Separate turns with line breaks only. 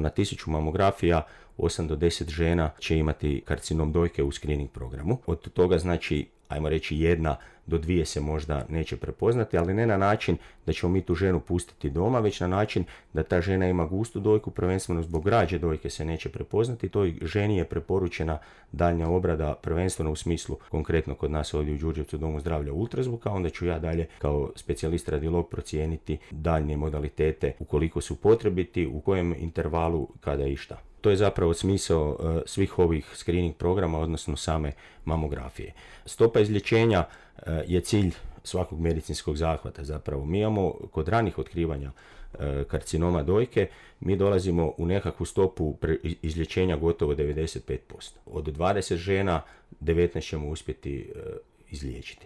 Na 1000 mamografija 8 do 10 žena će imati karcinom dojke u screening programu. Od toga znači, ajmo reći, 1 do 2 se možda neće prepoznati, ali ne na način da ćemo mi tu ženu pustiti doma, već na način da ta žena ima gustu dojku, prvenstveno zbog građe dojke se neće prepoznati. Toj ženi je preporučena daljnja obrada, prvenstveno u smislu, konkretno kod nas ovdje u Đurđevcu Domu zdravlja ultrazvuka, onda ću ja dalje kao specijalist radiolog procijeniti daljnje modalitete ukoliko su potrebiti, u kojem intervalu, kada i šta. To je zapravo smisao svih ovih screening programa, odnosno same mamografije. Stopa izlječenja je cilj svakog medicinskog zahvata zapravo. Mi imamo kod ranih otkrivanja karcinoma dojke, mi dolazimo u nekakvu stopu izlječenja gotovo 95%. Od 20 žena 19 ćemo uspjeti izliječiti.